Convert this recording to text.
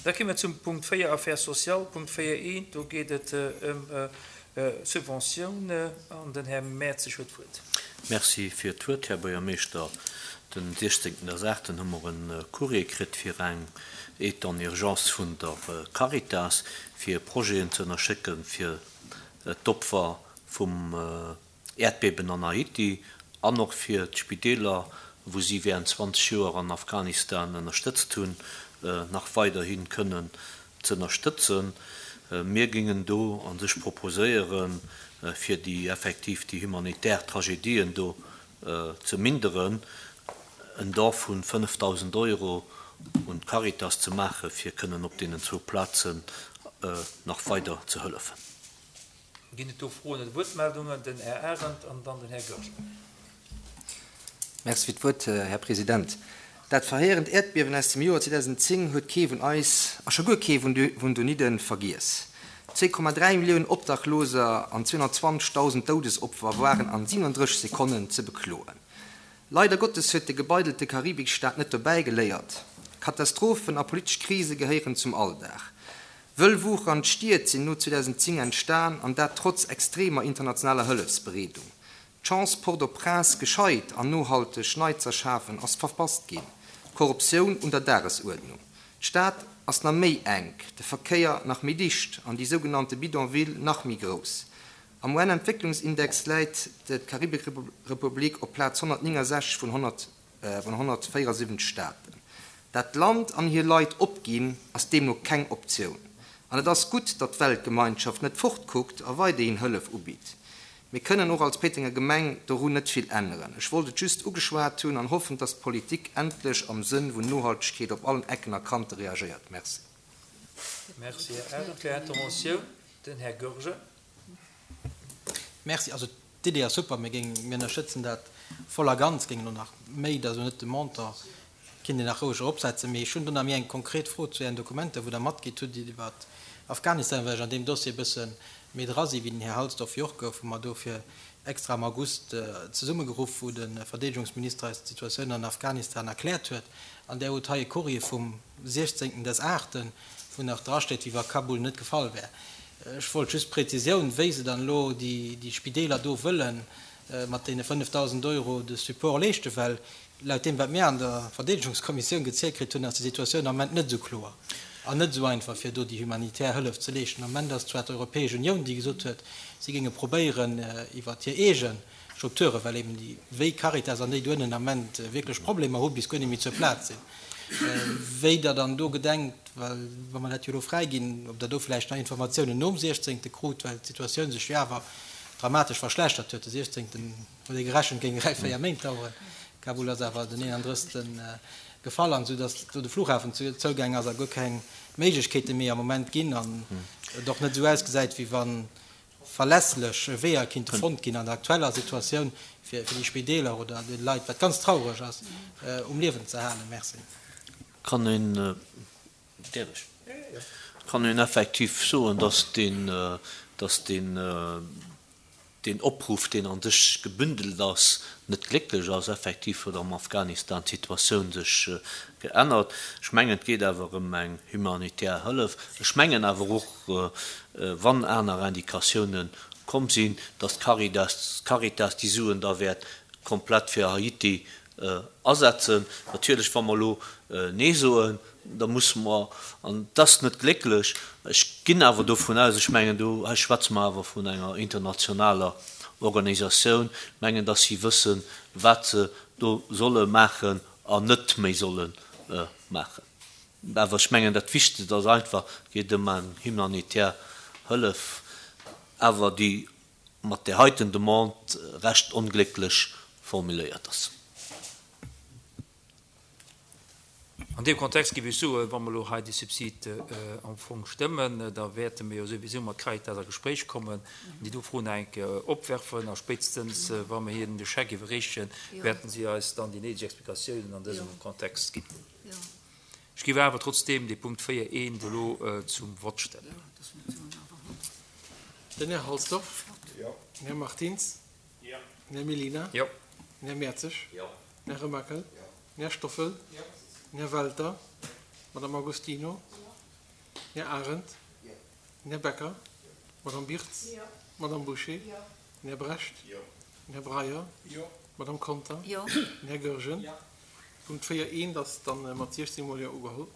Da kéime mer zum Punkt 4, Affaires sociales, Punkt 4.1. Do geet et ëm Subventioun an den Här Mertzig huet d'Wuert. Merci fir d'Wuert, Här Buergermeeschter. Den 16.08 hu mer e Courrier kritt fir eng Aide en urgence vun der Caritas, fir Projeten ze ënnerschécken fir d'Opfer vum Äerdbeben an Haiti an och fir d'Spideeler, wou si während 20 Joer an Afghanistan ënnerstëtzt hunn, nach weiderhi kënnen z'ënnerstëtzen. Mir géingen do a sech proposéieren, fir déi effektiv déi humanitär Tragedien do ze minderen, en Don vu 5.000 Euro un d'Caritas ze maachen, fir kënnen op deenen zwou Plazen nach weider ze hëllefen. Ginn et do Froen oder Wuertmeldungen? Den Här Arendt an dann den Här Goergen. Merci fir d'Wuert, Här President. Dat verheerend Äerdbiewen aus dem Joer 2010 huet kee vun eis, a scho guer kee vun donidden, vergiess. 2,3 Milliounen Obdachloser an 220.000 Doudesopfer waren an 37 Sekonnen ze bekloen. Leider Gottes huet de gebeidelte Karibikstaat net dobäi geléiert. Katastrophen a politesch Krise gehéieren zum Alldag. Wëll wuchernd Stied sinn no 2010 entstan, an dat trotz extremer internationaler Hëllefsbereedung. D'Chance, Port-au-Prince gescheit an nohalteg nei z'erschafen, ass verpasst ginn. Korruptioun un der Dagesuerdnung. D'Stad ass na méi enk, de Verkéier nach méi dicht an déi sougenannte Bidonville nach méi grouss. Am UN-Entwécklungsindex läit d'Karibikrepublik op Plaz 169 vun 174 Staaten. Dat Land an hir Leit opginn, ass deemno keng Optioun. An et ass gutt, datt d'Weltgemeinschaft net fortkuckt a weiderhin Hëllef ubitt. Mir kënnen och als Péitenger Gemeng dorun net vill änneren. Ech wollt et just ugeschwat hunn an hoffen, datt d'Politik endlech am Sënn vun Nohaltegkeet op allen Ecken a Kante reagéiert. Merci. Merci, Här Arendt. Fir Interventioun den Här Goergen. Merci. Also d'Idee ass super. Mir géingen, mir ënnerstëtzen dat voll a ganz, géingen och nach méi, dat ass elo net de Montant, kinnt een nach roueg eropsetzen. Mee ech hunn do nach méi eng konkret Fro zu Ären Dokumenter, wou Der matgitt hutt iwwer Afghanistan, well ech an deem Dossier e bësse méi dra si wéi den Här Halsdorf jo och. Goufe mer dofir extra am August zesummegeruff, wou de Verdeedegungsminister eis d'Situatioun an Afghanistan erkläert huet. An Der hutt hei e Courrier vum 16. des Aachten, wou nach drasteet, wéi wa Kabul net gefall wär. Ech wollt just d'Präzisioun, wéi se dann elo déi Spideeler do wëlle mat deene 5.000 Euro de Support leeschten, well laut deem, wat mir an der Verdeedegungskommissioun gezielt kritt hunn, ass déi Situatioun am Moment net esou kloer an net esou einfach, fir do déi humanitär Hëllef ze leeschten. Am Moment ass zwar d'Europäesch Unioun, déi gesot huet, si géinge probéieren, iwwert hir eege Strukturen, well eben déi wéi Caritas an déi do ënnen am Moment wierklech Problemer hu bis guer net méi zur Plaz sinn, wéi Der dann do gedenkt, well wa mer dat jo elo fräiginn, ob Der do vläicht nach Informatiounen nom 16. krut, well d'Situatioun sech jo awer dramatesch verschlechtert huet. De 16. huet ee gerechent, géing 3, 4 Méint daueren. Kabul ass awer den 31. gefall an esou datt do de Flughafen zougaang ass a guer keng Méiglechkeete méi am Moment ginn an et och net esou ausgesäit, wéi wa verlässlech Weeër kinnte fonnt ginn an der aktueller Situatioun, fir déi Spideeler oder déi Leit, wat ganz traureg ass, um Liewen ze halen. Merci. Kann een, däerf ech? Kann een effektiv soen, dass deen, dass deen, deen Opruff, deen a sech gebündelt ass, net glécklech ass. Effektiv huet am Afghanistan d'Situatioun sech geännert. Ech mengen, et geet awer ëm eng humanitär Hëllef. Ech mengen awer och, wann aner Indikatiounen komm sinn, dass d'Caritas déi Suen da wäert komplett fir Haiti asetzen. Natierlech, wa mer elo Nee soen, da musse mer, an et ass net glécklech, ech ginn awer dovun aus, ech mengen, do hei schwätze mer awer vun enger internationaler Organisatioun, mengen, dass si wëssen, wat se do solle maachen an net méi solle maachen. Awer ech mengen, dat Wichtegst ass einfach, et geet ëm eng humanitär Hëllef, awer déi mat där heiten Demande recht onglécklech formuléiert ass. An deem Kontext géif ech soen, wa mer elo hei dee Subsid am Fong stëmmen, da wäerte mir jo souwisou mat Caritas a Gespréich kommen an déi do Froen nach eng Kéier opwerfen. A spéitstens, wa mir hinnen de Scheck iwwerreechen, wäerten si eis dann déi néideg Explikatiounen an dësem Kontext ginn. Ech géif awer trotzdeem dee Punkt 4 eent elo zum Vott stellen. Den Här Halsdorf. Den Här Martins. Den Här Mellina. Den Här Mertzig. Den Här Remakel. Den Här Stoffel. Den Här Welter. D'Madame Agostino. Den Här Arendt. Den Här Becker. D'Madame Birtz. D'Madame Bouché. Den Här Brecht. Den Här Breyer. D'Madame Conter. Den Här Goergen. Punkt 4, eent ass dann mat 16 mol Jo ugeholl.